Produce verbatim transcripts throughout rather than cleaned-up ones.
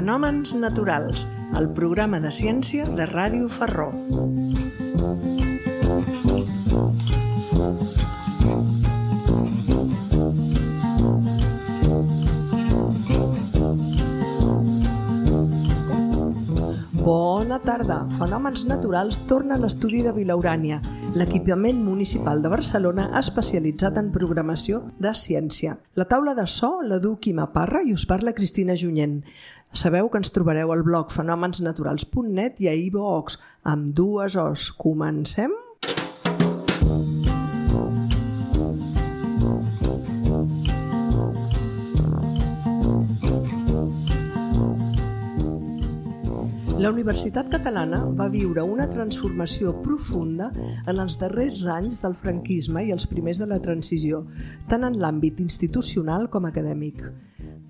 Fenòmens naturals, el programa de ciència de Ràdio Ferró. Bona tarda! Fenòmens naturals torna a l'estudi de Vilaurània, l'equipament municipal de Barcelona especialitzat en programació de ciència. La taula de so la du Quima Parra i us parla Cristina Junyent. Sabeu que ens trobareu al blog fenòmens naturals punt net i a iVoox amb dues os. Comencem? La Universitat Catalana va viure una transformació profunda en els darrers anys del franquisme i els primers de la transició, tant en l'àmbit institucional com acadèmic.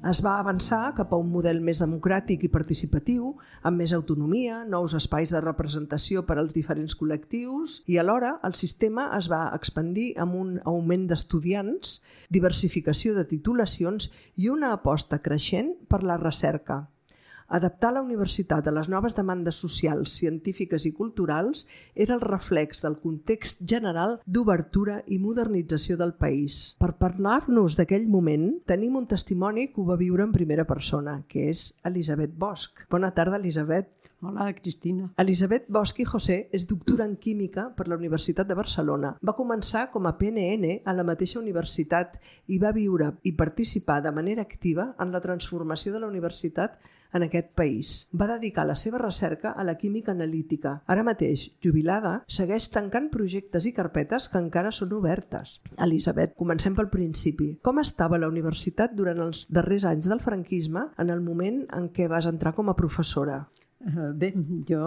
Es va avançar cap a un model més democràtic i participatiu, amb més autonomia, nous espais de representació per als diferents col·lectius i alhora el sistema es va expandir amb un augment d'estudiants, diversificació de titulacions i una aposta creixent per la recerca. Adaptar la universitat a les noves demandes socials, científiques i culturals era el reflex del context general d'obertura i modernització del país. Per parlar-nos d'aquell moment, tenim un testimoni que ho va viure en primera persona, que és Elisabet Bosch. Bona tarda, Elisabet. Hola, Cristina. Elisabet Bosch i José és doctora en Química per la Universitat de Barcelona. Va començar com a P N N a la mateixa universitat i va viure i participar de manera activa en la transformació de la universitat en aquest país. Va dedicar la seva recerca a la química analítica. Ara mateix, jubilada, segueix tancant projectes i carpetes que encara són obertes. Elisabet, comencem pel principi. Com estava la universitat durant els darrers anys del franquisme en el moment en què vas entrar com a professora? Uh, bé, jo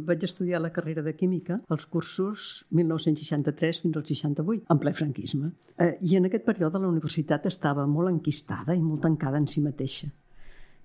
vaig estudiar la carrera de Química als cursos mil nou-cents seixanta-tres fins al seixanta-vuit, en ple franquisme. Uh, I en aquest període la universitat estava molt enquistada i molt tancada en si mateixa.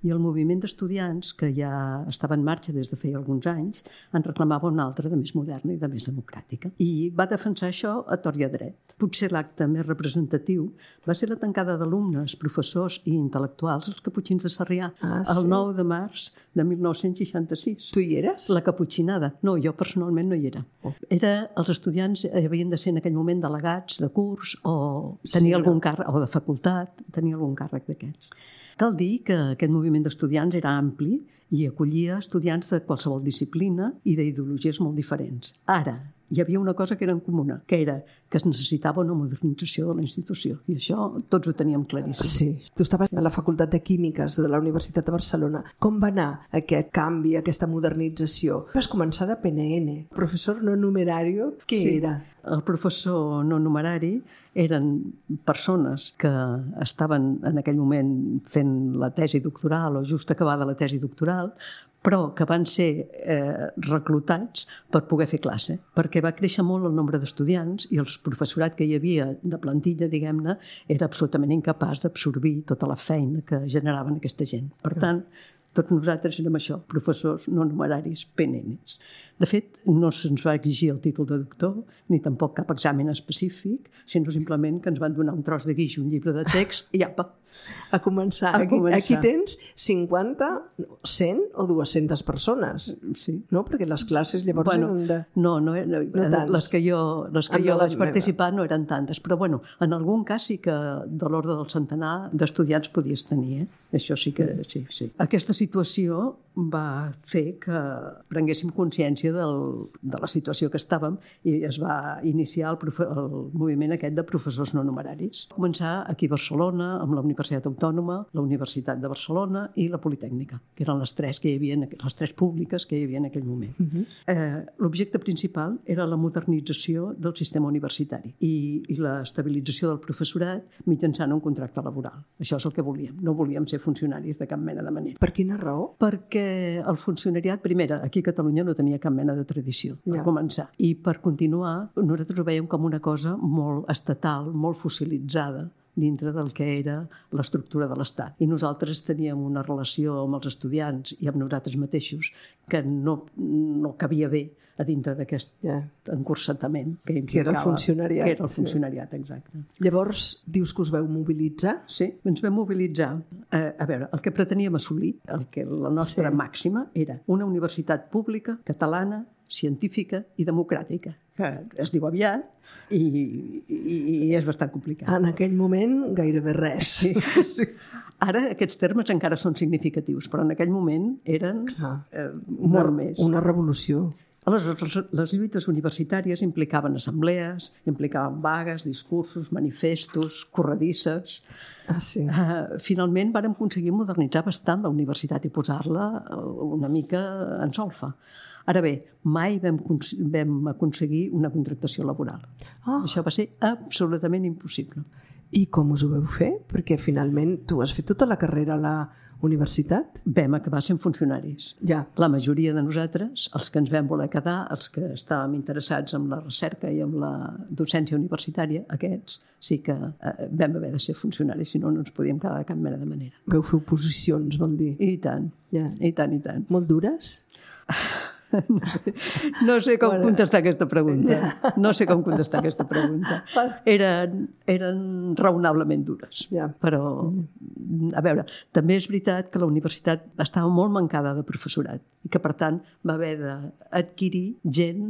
I el moviment d'estudiants, que ja estava en marxa des de feia alguns anys, en reclamava una altra de més moderna i de més democràtica. I va defensar això a tort i a dret. Potser l'acte més representatiu va ser la tancada d'alumnes, professors i intel·lectuals als Caputxins de Sarrià, ah, sí? El nou de març de mil nou-cents seixanta-sis. Tu hi eres? La caputxinada. No, jo personalment no hi era. Oh. Era, els estudiants havien de ser en aquell moment delegats de curs o tenir sí, algun no? càrrec, o de facultat, tenir algun càrrec d'aquests. Cal dir que aquest moviment d'estudiants era ampli i acollia estudiants de qualsevol disciplina i d'ideologies molt diferents. Ara, hi havia una cosa que era en comuna, que era que es necessitava una modernització de la institució. I això tots ho teníem claríssim. Sí. Tu estaves a la Facultat de Químiques de la Universitat de Barcelona. Com va anar aquest canvi, aquesta modernització? Vas començar de P N N. Professor no numerari, què sí. era? El professor no numerari eren persones que estaven en aquell moment fent la tesi doctoral o just acabada la tesi doctoral, però que van ser eh, reclutats per poder fer classe, perquè va créixer molt el nombre d'estudiants i el professorat que hi havia de plantilla, diguem-ne, era absolutament incapaç d'absorbir tota la feina que generaven aquesta gent. Per tant, tots nosaltres érem això, professors no numeraris, P N Ns. De fet, no se'ns va exigir el títol de doctor, ni tampoc cap examen específic, sinó simplement que ens van donar un tros de guix i un llibre de text i apa. A començar. A aquí, començar. Aquí tens cinquanta, cent o dues-centes persones. Sí. No? Perquè les classes llavors bueno, eren de... No, no, no, no les que jo, les que jo vaig participar no eren tantes, però bueno, en algun cas sí que de l'ordre del centenar d'estudiants podies tenir, eh? Això sí que sí, sí. Aquesta situació va fer que prenguéssim consciència del, de la situació que estàvem i es va iniciar el, profe, el moviment aquest de professors no numeraris. Va començar aquí a Barcelona, amb la Universitat Autònoma, la Universitat de Barcelona i la Politècnica, que eren les tres que hi havia, les tres públiques que hi havia en aquell moment. Uh-huh. eh, l'objecte principal era la modernització del sistema universitari i, i l'estabilització del professorat mitjançant un contracte laboral. Això és el que volíem. No volíem ser funcionaris de cap mena de manera. Per quina raó? Perquè el funcionariat, primera, aquí a Catalunya no tenia cap mena de tradició, per ja. començar. I per continuar, nosaltres ho veiem com una cosa molt estatal, molt fossilitzada, dintre del que era l'estructura de l'Estat. I nosaltres teníem una relació amb els estudiants i amb nosaltres mateixos que no, no cabia bé a dintre d'aquest yeah. encursatament que implicava... Que era el funcionariat. Que era el funcionariat, sí. Exacte. Llavors, dius que us veu mobilitzar? Sí, ens vam mobilitzar. Eh, a veure, el que preteníem assolir, el que la nostra sí. màxima, era una universitat pública, catalana, científica i democràtica, que es diu aviat i, i, i és bastant complicat. En aquell moment, gairebé res. Sí, sí. Ara aquests termes encara són significatius, però en aquell moment eren eh, molt una, més. Una revolució. Aleshores, les lluites universitàries implicaven assemblees, implicaven vagues, discursos, manifestos, corredisses. Ah, sí. Uh, finalment vàrem aconseguir modernitzar bastant la universitat i posar-la una mica en solfa. Ara bé, mai vam, vam aconseguir una contractació laboral. Oh. Això va ser absolutament impossible. I com us ho vau fer? Perquè finalment tu has fet tota la carrera a la universitat? Vam acabar sent funcionaris. Ja. La majoria de nosaltres, els que ens vam voler quedar, els que estàvem interessats en la recerca i en la docència universitària, aquests sí que eh, vam haver de ser funcionaris, si no, no ens podíem quedar de cap mena de manera. Vau fer oposicions, vol dir? I tant, ja. i tant, i tant. Molt dures? No sé, no sé com bueno. contestar aquesta pregunta. No sé com contestar aquesta pregunta. Eren, eren raonablement dures. Ja. Però, a veure, també és veritat que la universitat estava molt mancada de professorat i que, per tant, va haver d'adquirir gent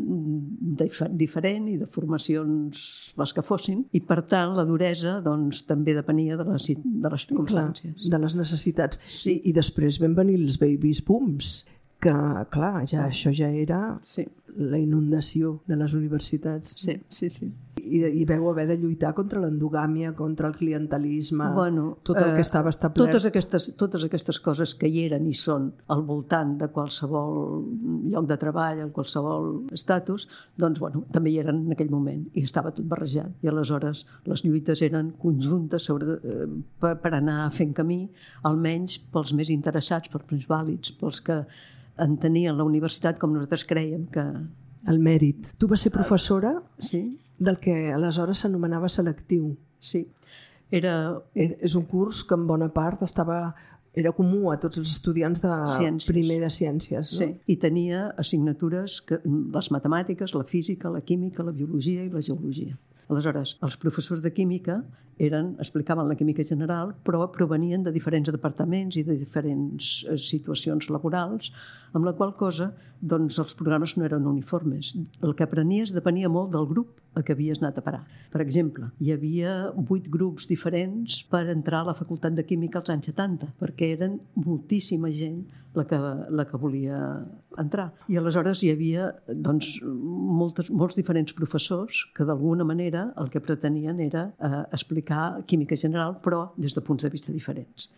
diferent i de formacions les que fossin, i, per tant, la duresa doncs, també depenia de les, de les circumstàncies. Clar, de les necessitats. Sí. I després van venir els babies booms, que, clar, ja, això ja era sí. la inundació de les universitats. Sí, sí, sí. I, i veu haver de lluitar contra l'endogàmia, contra el clientelisme, bueno, tot el eh, que estava establert. Totes aquestes, totes aquestes coses que hi eren i són al voltant de qualsevol lloc de treball, en qualsevol estatus, doncs, bueno, també hi eren en aquell moment i estava tot barrejat. I aleshores les lluites eren conjuntes sobre, eh, per, per anar fent camí, almenys pels més interessats, pels més vàlids, pels que entenien la universitat com nosaltres crèiem que... El mèrit. Tu vas ser professora sí. del que aleshores s'anomenava selectiu. Sí. Era... És un curs que en bona part estava... era comú a tots els estudiants de ciències. Primer de ciències. No? Sí. I tenia assignatures, que, les matemàtiques, la física, la química, la biologia i la geologia. Aleshores, els professors de química eren, explicaven la química general, però provenien de diferents departaments i de diferents situacions laborals, amb la qual cosa doncs, els programes no eren uniformes. El que aprenies depenia molt del grup a què havies anat a parar. Per exemple, hi havia vuit grups diferents per entrar a la Facultat de Química als anys setanta, perquè eren moltíssima gent la que, la que volia entrar. I aleshores hi havia doncs, moltes, molts diferents professors que d'alguna manera el que pretenien era eh, explicar química general, però des de punts de vista diferents.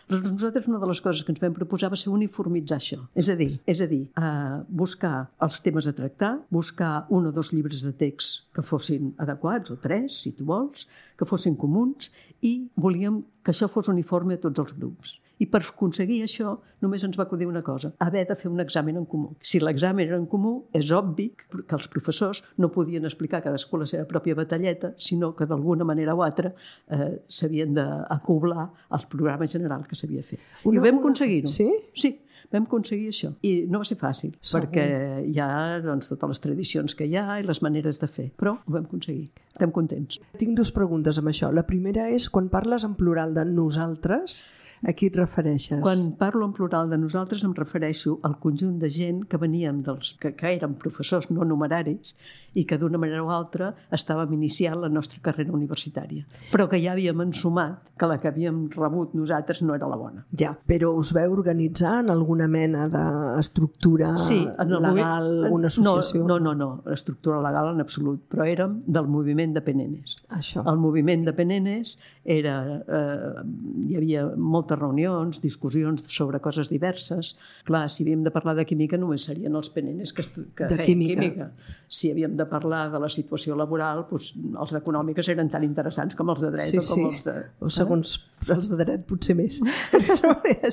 Nosaltres una de les coses que ens vam proposar va ser uniformitzar això. És a dir, és a dir eh, buscar els temes a tractar, buscar un o dos llibres de text que fossin adequats, o tres, si tu vols, que fossin comuns, i volíem que això fos uniforme a tots els grups. I per aconseguir això només ens va acudir una cosa, haver de fer un examen en comú. Si l'examen era en comú, és obvi que els professors no podien explicar cadascú la seva pròpia batalleta, sinó que d'alguna manera o altra eh, s'havien d'acoblar al programa general que s'havia fet. Una, I ho vam aconseguir-ho. Sí? Sí, vam aconseguir això. I no va ser fàcil, Segur. perquè hi ha doncs, totes les tradicions que hi ha i les maneres de fer, però ho vam aconseguir. Estem contents. Tinc dues preguntes amb això. La primera és, quan parles en plural de nosaltres, a qui et refereixes? Quan parlo en plural de nosaltres em refereixo al conjunt de gent que veníem dels que, que eren professors no numeraris i que d'una manera o altra estàvem iniciant la nostra carrera universitària, però que ja havíem ensumat que la que havíem rebut nosaltres no era la bona. Ja, però us veu organitzar en alguna mena d'estructura sí, en el legal, moment, una associació? No, no, no, no, estructura legal en absolut, però érem del moviment de Penenes. Això. El moviment de Penenes era, eh, hi havia moltes reunions, discussions sobre coses diverses. Clar, si havíem de parlar de química només serien els Penenes que, que feien química. química. Si havíem de parlar de la situació laboral, doncs, els d'econòmiques eren tan interessants com els de dret sí, o com sí. els de... O segons eh? els de dret potser més.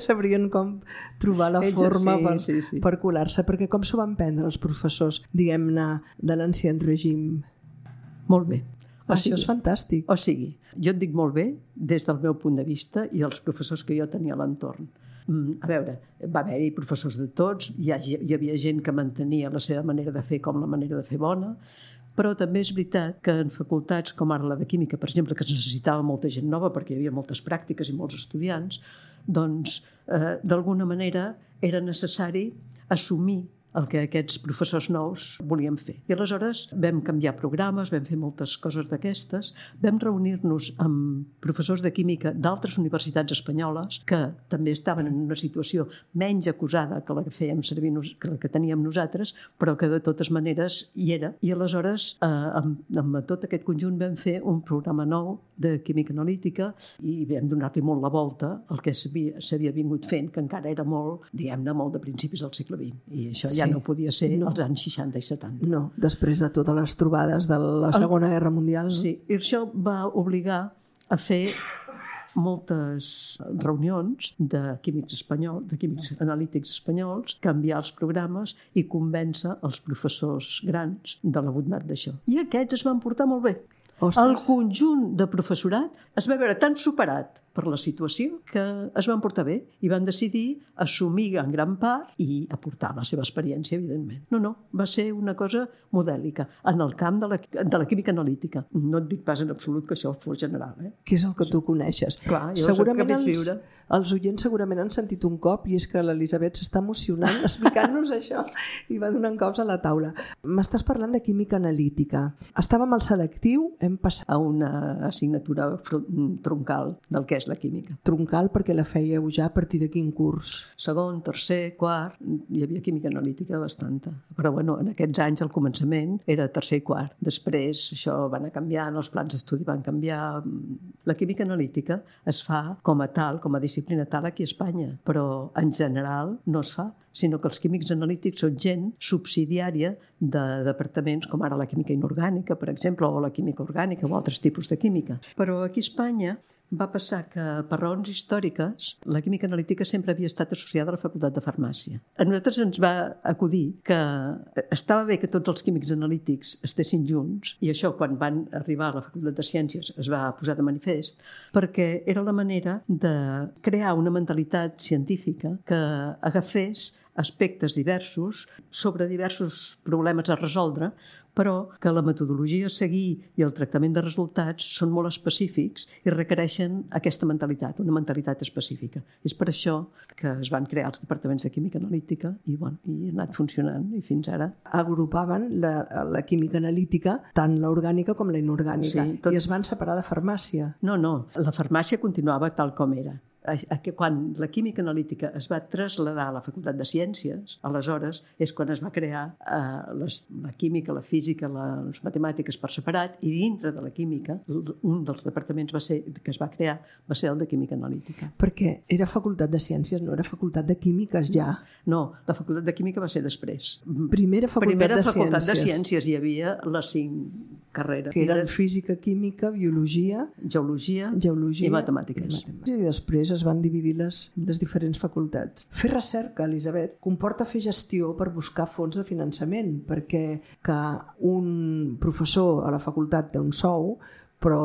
Sabrien com trobar la Ells, forma sí, per, sí, sí. per colar-se, perquè com s'ho van prendre els professors, diguem-ne, de l'ancien règim? Molt bé. O Això sigui, és fantàstic. O sigui, jo et dic molt bé des del meu punt de vista i els professors que jo tenia a l'entorn. A veure, va haver-hi professors de tots, hi, ha, hi havia gent que mantenia la seva manera de fer com la manera de fer bona, però també és veritat que en facultats com ara la de Química, per exemple, que es necessitava molta gent nova perquè hi havia moltes pràctiques i molts estudiants, doncs eh, d'alguna manera era necessari assumir el que aquests professors nous volien fer. I aleshores vam canviar programes, vam fer moltes coses d'aquestes, vam reunir-nos amb professors de química d'altres universitats espanyoles que també estaven en una situació menys acusada que la que fèiem servir, que la que teníem nosaltres, però que de totes maneres hi era. I aleshores, eh, amb, amb tot aquest conjunt vam fer un programa nou de química analítica i vam donar-li molt la volta al que s'havia vingut fent, que encara era molt, diguem-ne, molt de principis del segle vint. I això ja no podia ser no. als anys seixanta i setanta. No, després de totes les trobades de la Segona Guerra Mundial. Sí, i això va obligar a fer moltes reunions de químics espanyols, de químics analítics espanyols, canviar els programes i convèncer els professors grans de la bondat d'això. I aquests es van portar molt bé. Ostres. El conjunt de professorat es va veure tan superat per la situació que es van portar bé i van decidir assumir en gran part i aportar la seva experiència, evidentment. No, no, va ser una cosa modèlica en el camp de la, de la química analítica. No et dic pas en absolut que això fos general. Eh? Que és el que tu coneixes. Clar, jo segurament els, viure. Els oients segurament han sentit un cop i és que l'Elisabet s'està emocionant explicant-nos això i va donant cops a la taula. M'estàs parlant de química analítica. Estàvem al selectiu, hem passat a una assignatura troncal del que és la química. Troncal perquè la fèieu ja a partir de quin curs? Segon, tercer, quart, hi havia química analítica bastanta. Però bueno, en aquests anys al començament era tercer i quart. Després això va anar canviant, els plans d'estudi van canviar. La química analítica es fa com a tal, com a disciplina tal aquí a Espanya, però en general no es fa, sinó que els químics analítics són gent subsidiària de departaments com ara la química inorgànica, per exemple, o la química orgànica o altres tipus de química. Però aquí a Espanya va passar que, per raons històriques, la química analítica sempre havia estat associada a la Facultat de Farmàcia. A nosaltres ens va acudir que estava bé que tots els químics analítics estessin junts, i això, quan van arribar a la Facultat de Ciències, es va posar de manifest, perquè era la manera de crear una mentalitat científica que agafés aspectes diversos sobre diversos problemes a resoldre, però que la metodologia a seguir i el tractament de resultats són molt específics i requereixen aquesta mentalitat, una mentalitat específica. És per això que es van crear els departaments de química analítica i, bueno, i ha anat funcionant i fins ara. Agrupaven la, la química analítica, tant l'orgànica com la inorgànica, sí, tot... i es van separar de farmàcia. No, no, la farmàcia continuava tal com era. Quan la química analítica es va traslladar a la Facultat de Ciències, aleshores és quan es va crear eh, les, la química, la física, les matemàtiques per separat, i dintre de la química, un dels departaments va ser, que es va crear va ser el de química analítica. Perquè era Facultat de Ciències, no era Facultat de Químiques ja? No, la Facultat de Química va ser després. Primera Facultat, Primera de, facultat ciències. de Ciències. Hi havia les cinc carreres. Que eren física, química, biologia, geologia, geologia i matemàtiques. I, matemàtiques. I després es van dividir les, les diferents facultats. Fer recerca, Elisabet, comporta fer gestió per buscar fons de finançament, perquè que un professor a la facultat té un sou, però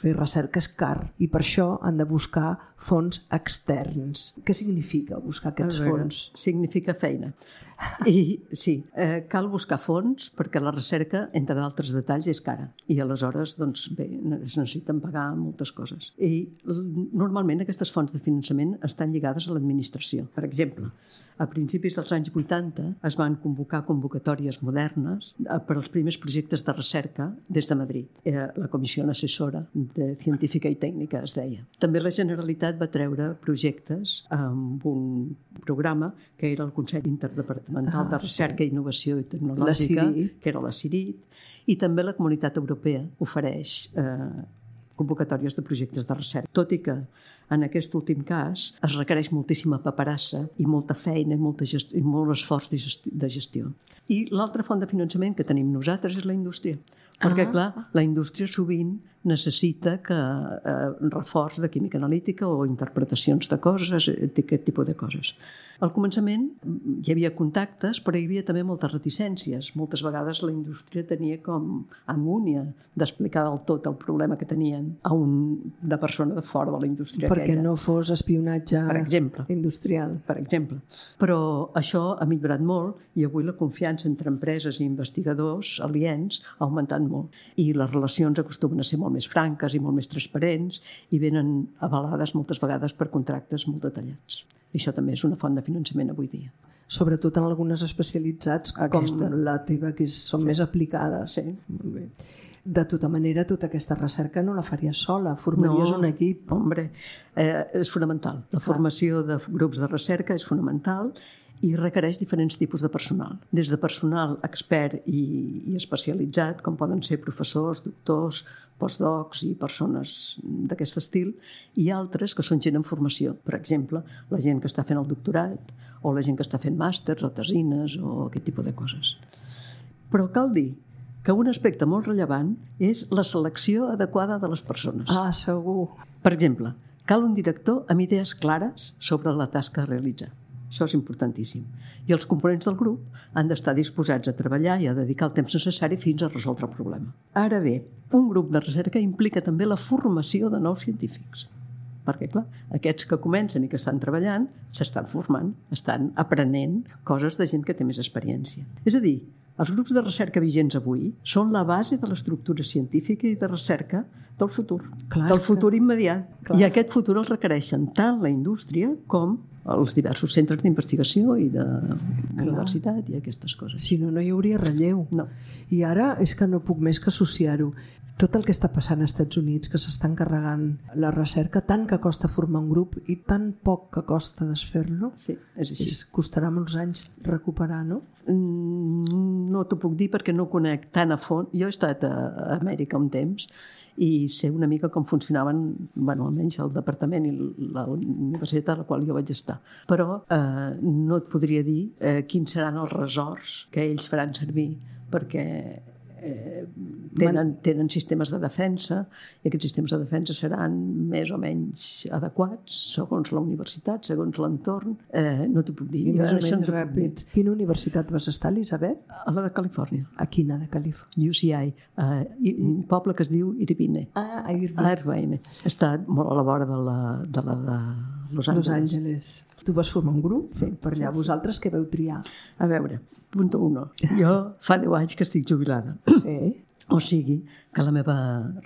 fer recerca és car i per això han de buscar fons externs. Què significa buscar aquests veure, fons? Significa feina. I sí, eh, cal buscar fons perquè la recerca, entre d'altres detalls, és cara. I aleshores, doncs, bé, es necessiten pagar moltes coses. I normalment aquestes fonts de finançament estan lligades a l'administració. Per exemple, a principis dels anys vuitanta es van convocar convocatòries modernes per als primers projectes de recerca des de Madrid. Era la Comissió Assessora de Científica i Tècnica, es deia. També la Generalitat va treure projectes amb un programa que era el Consell Interdepartamental ah, de Recerca, sí. Innovació i Tecnològica, que era la CIRIT, i també la Comunitat Europea ofereix eh, convocatòries de projectes de recerca. Tot i que en aquest últim cas es requereix moltíssima paperassa i molta feina i, molta gestió, i molt esforç de gestió. I l'altra font de finançament que tenim nosaltres és la indústria. Perquè, ah. clar, la indústria sovint necessita que eh, reforç de química analítica o interpretacions de coses, aquest tipus de coses. Al començament hi havia contactes, però hi havia també moltes reticències. Moltes vegades la indústria tenia com angúnia d'explicar del tot el problema que tenien a un, una persona de fora de la indústria Perquè aquella. no fos espionatge per exemple, industrial. Per exemple. Però això ha millorat molt i avui la confiança entre empreses i investigadors aliens ha augmentat molt. I les relacions acostumen a ser molt més franques i molt més transparents i venen avalades moltes vegades per contractes molt detallats. I això també és una font de finançament avui dia. Sobretot en algunes especialitats Aquesta. Com la teva, que són sí. més aplicades. Sí. Molt bé. De tota manera, tota aquesta recerca no la faries sola, formaries no, un equip. Hombre, eh, és fonamental. La formació de grups de recerca és fonamental i requereix diferents tipus de personal. Des de personal expert i, i especialitzat, com poden ser professors, doctors, postdocs i persones d'aquest estil, i altres que són gent en formació. Per exemple, la gent que està fent el doctorat o la gent que està fent màsters o tesines o aquest tipus de coses. Però cal dir que un aspecte molt rellevant és la selecció adequada de les persones. Ah, segur. Per exemple, cal un director amb idees clares sobre la tasca a realitzar. Això és importantíssim. I els components del grup han d'estar disposats a treballar i a dedicar el temps necessari fins a resoldre el problema. Ara bé, un grup de recerca implica també la formació de nous científics. Perquè, clar, aquests que comencen i que estan treballant s'estan formant, estan aprenent coses de gent que té més experiència. És a dir, els grups de recerca vigents avui són la base de l'estructura científica i de recerca del futur, clar, del futur immediat. Clar. I aquest futur el requereixen tant la indústria com els diversos centres d'investigació i de clar. Universitat i aquestes coses. Si no, no hi hauria relleu. No. I ara és que no puc més que associar-ho. Tot el que està passant als Estats Units, que s'estan carregant la recerca, tant que costa formar un grup i tan poc que costa desfer-lo, sí, és així. És, costarà molts anys recuperar, no? Mm, no t'ho puc dir perquè no conec tan a fons. Jo he estat a Amèrica un temps i sé una mica com funcionaven, bueno, almenys el departament i la universitat a la qual jo vaig estar. Però eh, no et podria dir eh, quins seran els ressorts que ells faran servir, perquè eh, tenen, tenen sistemes de defensa i aquests sistemes de defensa seran més o menys adequats segons la universitat, segons l'entorn. Eh, no t'ho puc dir. I més o menys ràpids. Quina universitat vas estar, Elisabet? A la de Califòrnia. A quina de Califòrnia? U C I, uh, un poble que es diu Irvine. Ah, a Irvine. Irvine. Està molt a la vora de la de, la de Los Angeles. Los Angeles. Tu vas formar un grup? Sí. Per allà. Sí, sí. Vosaltres què veu triar? A veure, punto uno. Jo fa deu anys que estic jubilada. Sí. O sigui que la meva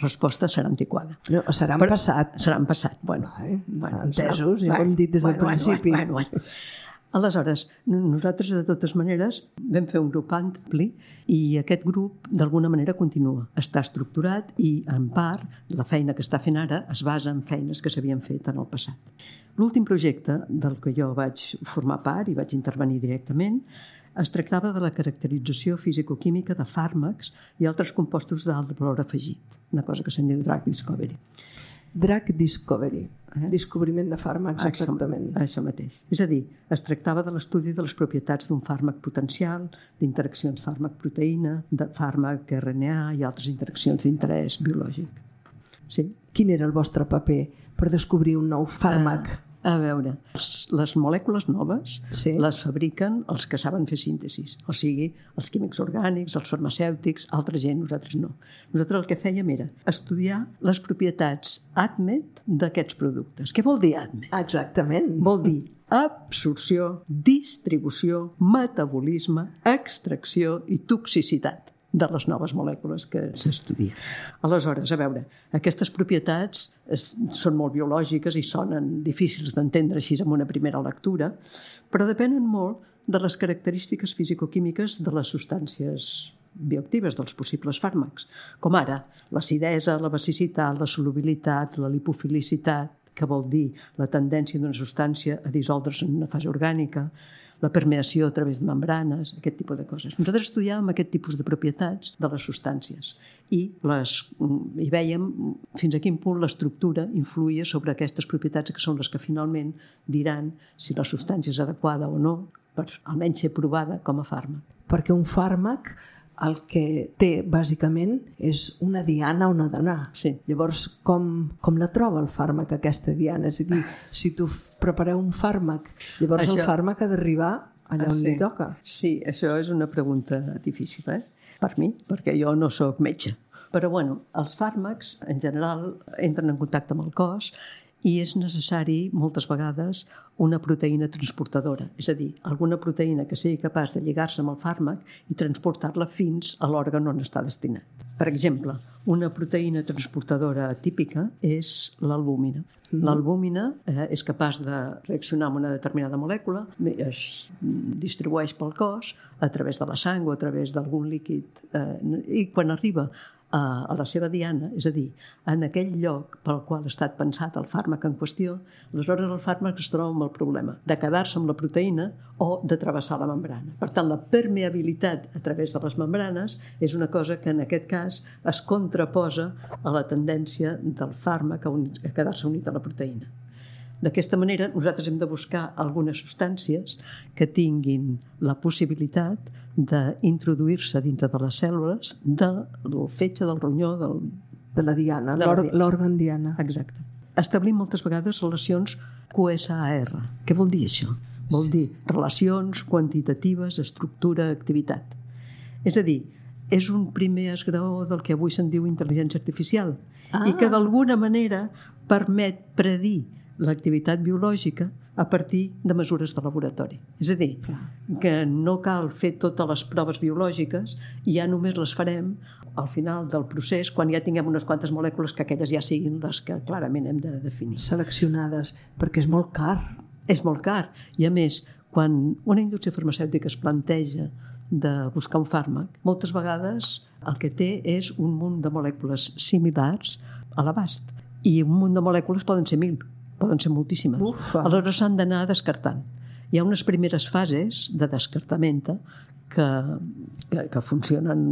resposta serà antiquada. No, serà en Però, passat. Serà en passat. Bueno, Vale. bueno, entesos, serà, ja ho hem dit des del bueno, principi. Bueno, bueno, bueno. Aleshores, nosaltres, de totes maneres, vam fer un grup ampli i aquest grup, d'alguna manera, continua. Està estructurat i, en part, la feina que està fent ara es basa en feines que s'havien fet en el passat. L'últim projecte del que jo vaig formar part i vaig intervenir directament es tractava de la caracterització fisicoquímica de fàrmacs i altres compostos d'alt valor afegit, una cosa que se'n diu drug discovery. Drug discovery, eh? Descobriment de fàrmacs, exactament. Això, això mateix. És a dir, es tractava de l'estudi de les propietats d'un fàrmac potencial, d'interaccions fàrmac-proteïna, de fàrmac R N A i altres interaccions d'interès biològic. Sí? Quin era el vostre paper per descobrir un nou fàrmac? Uh, A veure, les molècules noves sí. les fabriquen els que saben fer síntesis, o sigui, els químics orgànics, els farmacèutics, altra gent, nosaltres no. Nosaltres el que fèiem era estudiar les propietats ADMET d'aquests productes. Què vol dir ADMET? Exactament. Vol dir absorció, distribució, metabolisme, extracció i toxicitat de les noves molècules que s'estudien. Aleshores, a veure, aquestes propietats són molt biològiques i sonen difícils d'entendre així en una primera lectura, però depenen molt de les característiques fisicoquímiques de les substàncies bioactives dels possibles fàrmacs, com ara l'acidesa, la basicitat, la solubilitat, la lipofilicitat, que vol dir la tendència d'una substància a dissoldre's en una fase orgànica, la permeació a través de membranes, aquest tipus de coses. Nosaltres estudiàvem aquest tipus de propietats de les substàncies i, les, i vèiem fins a quin punt l'estructura influïa sobre aquestes propietats que són les que finalment diran si la substància és adequada o no per almenys ser provada com a fàrmac. Perquè un fàrmac el que té, bàsicament, és una diana on ha d'anar. Sí. Llavors, com, com la troba el fàrmac, aquesta diana? És a dir, si tu prepareu un fàrmac, llavors això... el fàrmac ha d'arribar allà on ah, sí. li toca. Sí, això és una pregunta difícil, eh? Per mi, perquè jo no sóc metge. Però, bueno, els fàrmacs, en general, entren en contacte amb el cos i és necessari, moltes vegades, una proteïna transportadora, és a dir, alguna proteïna que sigui capaç de lligar-se amb el fàrmac i transportar-la fins a l'òrgan on està destinat. Per exemple, una proteïna transportadora típica és l'albúmina. Mm-hmm. L'albúmina eh, és capaç de reaccionar amb una determinada molècula, es distribueix pel cos a través de la sang o a través d'algun líquid eh, i quan arriba a la seva diana, és a dir, en aquell lloc pel qual ha estat pensat el fàrmac en qüestió, aleshores el fàrmac es troba amb el problema de quedar-se amb la proteïna o de travessar la membrana. Per tant, la permeabilitat a través de les membranes és una cosa que en aquest cas es contraposa a la tendència del fàrmac a, a quedar-se unit a la proteïna. D'aquesta manera, nosaltres hem de buscar algunes substàncies que tinguin la possibilitat d'introduir-se dintre de les cèl·lules del fetge, del ronyó, del... de la diana, de l'òrgan diana. Exacte. Establim moltes vegades relacions Q S A R. Què vol dir això? Vol dir relacions quantitatives, estructura, activitat. És a dir, és un primer esgraó del que avui se'n diu intel·ligència artificial ah. i que d'alguna manera permet predir l'activitat biològica a partir de mesures de laboratori. És a dir, que no cal fer totes les proves biològiques i ja només les farem al final del procés quan ja tinguem unes quantes molècules que aquelles ja siguin les que clarament hem de definir. Seleccionades, perquè és molt car. És molt car. I a més, quan una indústria farmacèutica es planteja de buscar un fàrmac, moltes vegades el que té és un munt de molècules similars a l'abast. I un munt de molècules poden ser mil. Poden ser moltíssimes. Ufa. Aleshores s'han d'anar descartant. Hi ha unes primeres fases de descartament que, que, que funcionen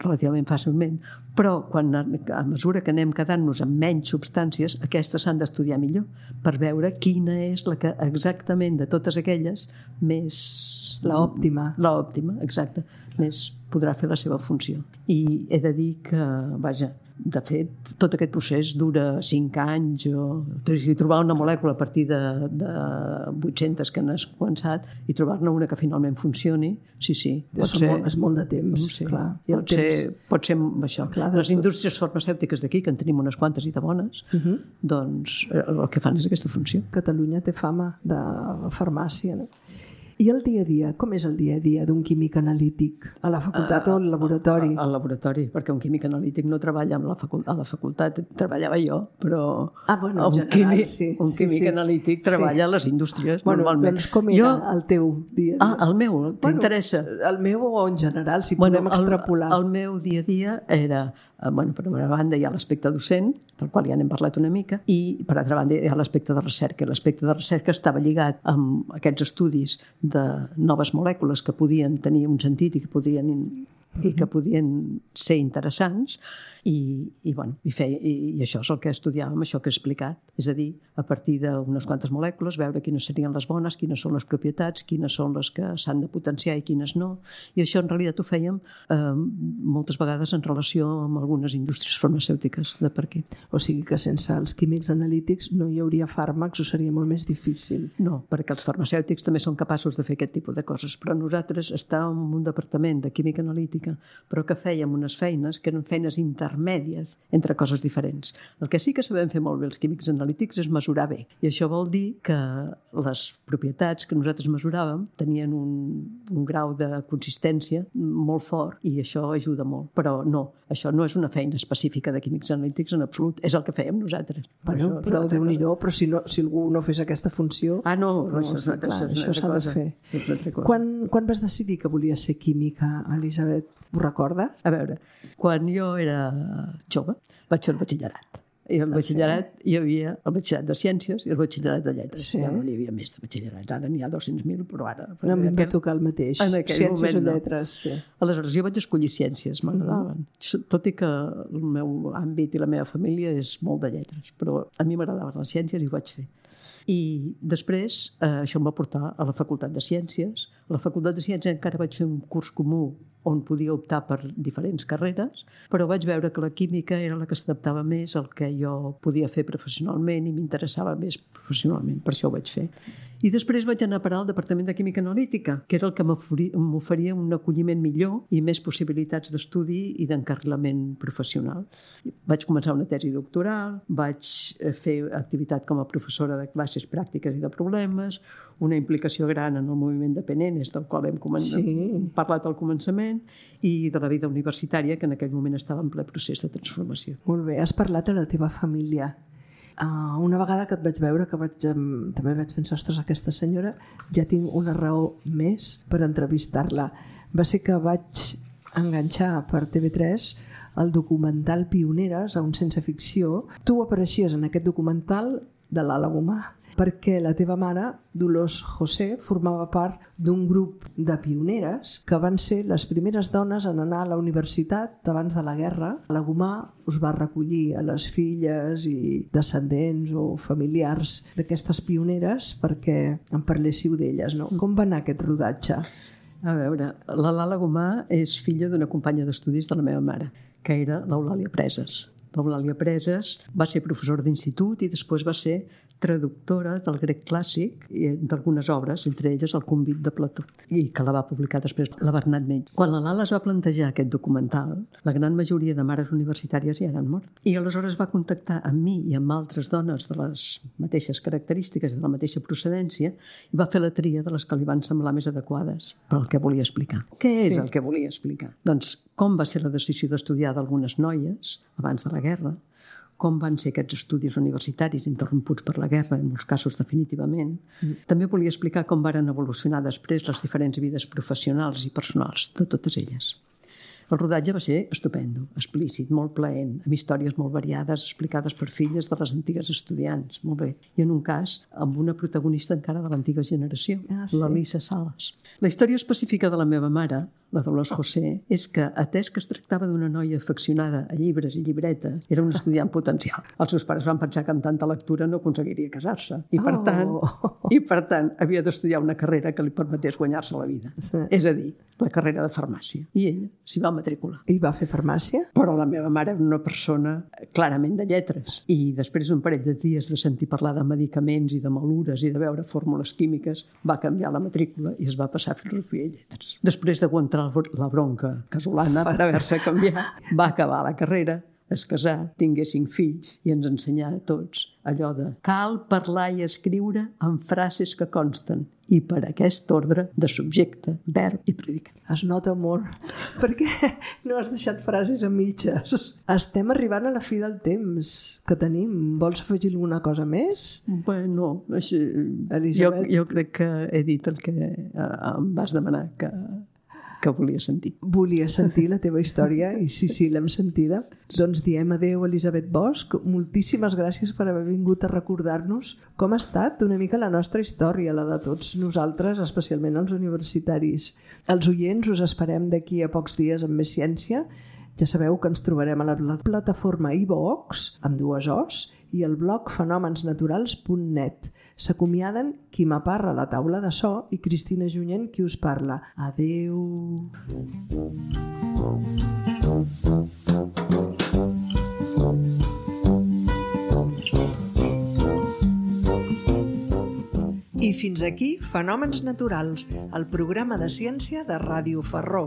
relativament fàcilment, però quan, a mesura que anem quedant-nos amb menys substàncies, aquestes s'han d'estudiar millor per veure quina és la que exactament de totes aquelles més... L'òptima. L'òptima, exacte. Més podrà fer la seva funció. I he de dir que, vaja, de fet, tot aquest procés dura cinc anys o trobar una molècula a partir de, de vuit-centes que n'has començat i trobar-ne una que finalment funcioni, sí, sí. Pot ser, molt, és molt de temps, sí, clar. I pot, temps... Ser, pot ser això. Clar, les indústries farmacèutiques d'aquí, que en tenim unes quantes i de bones, uh-huh. doncs el que fan és aquesta funció. Catalunya té fama de farmàcia, no? I el dia a dia? Com és el dia a dia d'un químic analític? A la facultat uh, o al laboratori? Al laboratori, perquè un químic analític no treballa amb la facultat. A la facultat treballava jo, però ah, bueno, un, general, químic, sí, un químic sí, analític sí. treballa sí. a les indústries, bueno, normalment. Doncs com era jo... el teu dia a dia? Ah, el meu, t'interessa? Bueno, el meu o en general, si bueno, podem extrapolar. El, el meu dia a dia era... Bueno, per una banda hi ha l'aspecte docent, del qual ja n'hem parlat una mica, i per altra banda hi ha l'aspecte de recerca. L'aspecte de recerca estava lligat amb aquests estudis de noves molècules que podien tenir un sentit i que podien, i que podien ser interessants, i, i, bueno, i, feia, i, i això és el que estudiàvem, això que he explicat. És a dir, a partir d'unes quantes molècules, veure quines serien les bones, quines són les propietats, quines són les que s'han de potenciar i quines no. I això en realitat ho fèiem eh, moltes vegades en relació amb algunes indústries farmacèutiques de per aquí. O sigui que sense els químics analítics no hi hauria fàrmacs o seria molt més difícil. No, perquè els farmacèutics també són capaços de fer aquest tipus de coses, però nosaltres estàvem en un departament de química analítica, però que fèiem unes feines que eren feines intermèdies entre coses diferents. El que sí que sabem fer molt bé els químics analítics és mesurar bé, i això vol dir que les propietats que nosaltres mesuràvem tenien un, un grau de consistència molt fort i això ajuda molt, però no, això no és una feina específica de químics analítics en absolut, és el que fèiem nosaltres. Bueno, això, però Déu-n'hi-do, però si, no, si algú no fes aquesta funció... Ah, no, no això, això, clar, això, això s'ha de fer. Quan, quan vas decidir que volies ser química, Elisabet? Ho recordes? A veure, quan jo era jove vaig fer el batxillerat. I el batxillerat hi havia el batxillerat de Ciències i el batxillerat de Lletres. Sí. Ja no hi havia més de batxillerats. Ara n'hi ha dos-cents mil, però ara... No, a mi em va tocar el mateix. Ciències moment, o Lletres, no. Sí. Aleshores, jo vaig escollir Ciències, m'agradaven. Mm-hmm. Tot i que el meu àmbit i la meva família és molt de lletres, però a mi m'agradaven les ciències i ho vaig fer. I després eh, això em va portar a la Facultat de Ciències. A la Facultat de Ciències encara vaig fer un curs comú on podia optar per diferents carreres, però vaig veure que la química era la que s'adaptava més al que jo podia fer professionalment i m'interessava més professionalment, per això ho vaig fer. I després vaig anar a parar al Departament de Química Analítica, que era el que m'oferia un acolliment millor i més possibilitats d'estudi i d'encarrilament professional. Vaig començar una tesi doctoral, vaig fer activitat com a professora de classes pràctiques i de problemes, una implicació gran en el moviment de Penenes, del qual hem sí. parlat al començament, i de la vida universitària, que en aquell moment estava en ple procés de transformació. Molt bé, has parlat de la teva família. Uh, una vegada que et vaig veure, que vaig, um, també vaig pensar, ostres, aquesta senyora, ja tinc una raó més per entrevistar-la. Va ser que vaig enganxar per T V tres el documental Pioneres, a un sense ficció. Tu apareixies en aquest documental de l'Ala Gomà, perquè la teva mare, Dolors José, formava part d'un grup de pioneres que van ser les primeres dones en anar a la universitat abans de la guerra. La Gomà us va recollir a les filles i descendents o familiars d'aquestes pioneres perquè en parléssiu d'elles, no? Com va anar aquest rodatge? A veure, la Lala Gomà és filla d'una companya d'estudis de la meva mare, que era l'Eulàlia Preses. L'Eulàlia Preses va ser professora d'institut i després va ser traductora del grec clàssic i d'algunes obres, entre elles el Convit de Plató, i que la va publicar després la Bernat Menys. Quan la Lala es va plantejar aquest documental, la gran majoria de mares universitàries ja eren mort. I aleshores va contactar amb mi i amb altres dones de les mateixes característiques, de la mateixa procedència, i va fer la tria de les que li van semblar més adequades per al que volia explicar. Què és sí. el que volia explicar? Doncs com va ser la decisió d'estudiar d'algunes noies abans de la guerra, com van ser aquests estudis universitaris interromputs per la guerra, en molts casos definitivament. Mm. També volia explicar com varen evolucionar després les diferents vides professionals i personals de totes elles. El rodatge va ser estupendo, explícit, molt plaent, amb històries molt variades, explicades per filles de les antigues estudiants, molt bé. I en un cas, amb una protagonista encara de l'antiga generació, ah, sí. l'Elisa Sales. La història específica de la meva mare, la Dolors José, és que, atès que es tractava d'una noia afeccionada a llibres i llibretes, era un estudiant potencial. Els seus pares van pensar que amb tanta lectura no aconseguiria casar-se. I per, oh. tant, i per tant, havia d'estudiar una carrera que li permetés guanyar-se la vida. Sí. És a dir, la carrera de farmàcia. I ella s'hi va matricular. I va fer farmàcia? Però la meva mare era una persona clarament de lletres. I després d'un parell de dies de sentir parlar de medicaments i de malures i de veure fórmules químiques, va canviar la matrícula i es va passar a filosofia i lletres. Després d'aguantar la bronca casolana per haver-se canviat, va acabar la carrera, es casà, tingué cinc fills i ens ensenyà a tots allò de cal parlar i escriure amb frases que consten i per aquest ordre de subjecte, verb i predicat. Es nota molt, perquè no has deixat frases a mitges. Estem arribant a la fi del temps que tenim. Vols afegir alguna cosa més? Bueno, així, jo, jo crec que he dit el que em vas demanar que... que volia sentir. Volia sentir la teva història i sí, sí, l'hem sentida. Doncs diem adeu, Elisabet Bosch. Moltíssimes gràcies per haver vingut a recordar-nos com ha estat una mica la nostra història, la de tots nosaltres, especialment els universitaris. Els oients us esperem d'aquí a pocs dies amb més ciència. Ja sabeu que ens trobarem a la plataforma iVox, amb dues O's, i el blog fenòmens naturals punt net. S'acomiaden Quim Aparra a la taula de so i Cristina Junyent, qui us parla. Adeu! I fins aquí Fenòmens Naturals, el programa de ciència de Ràdio Ferró.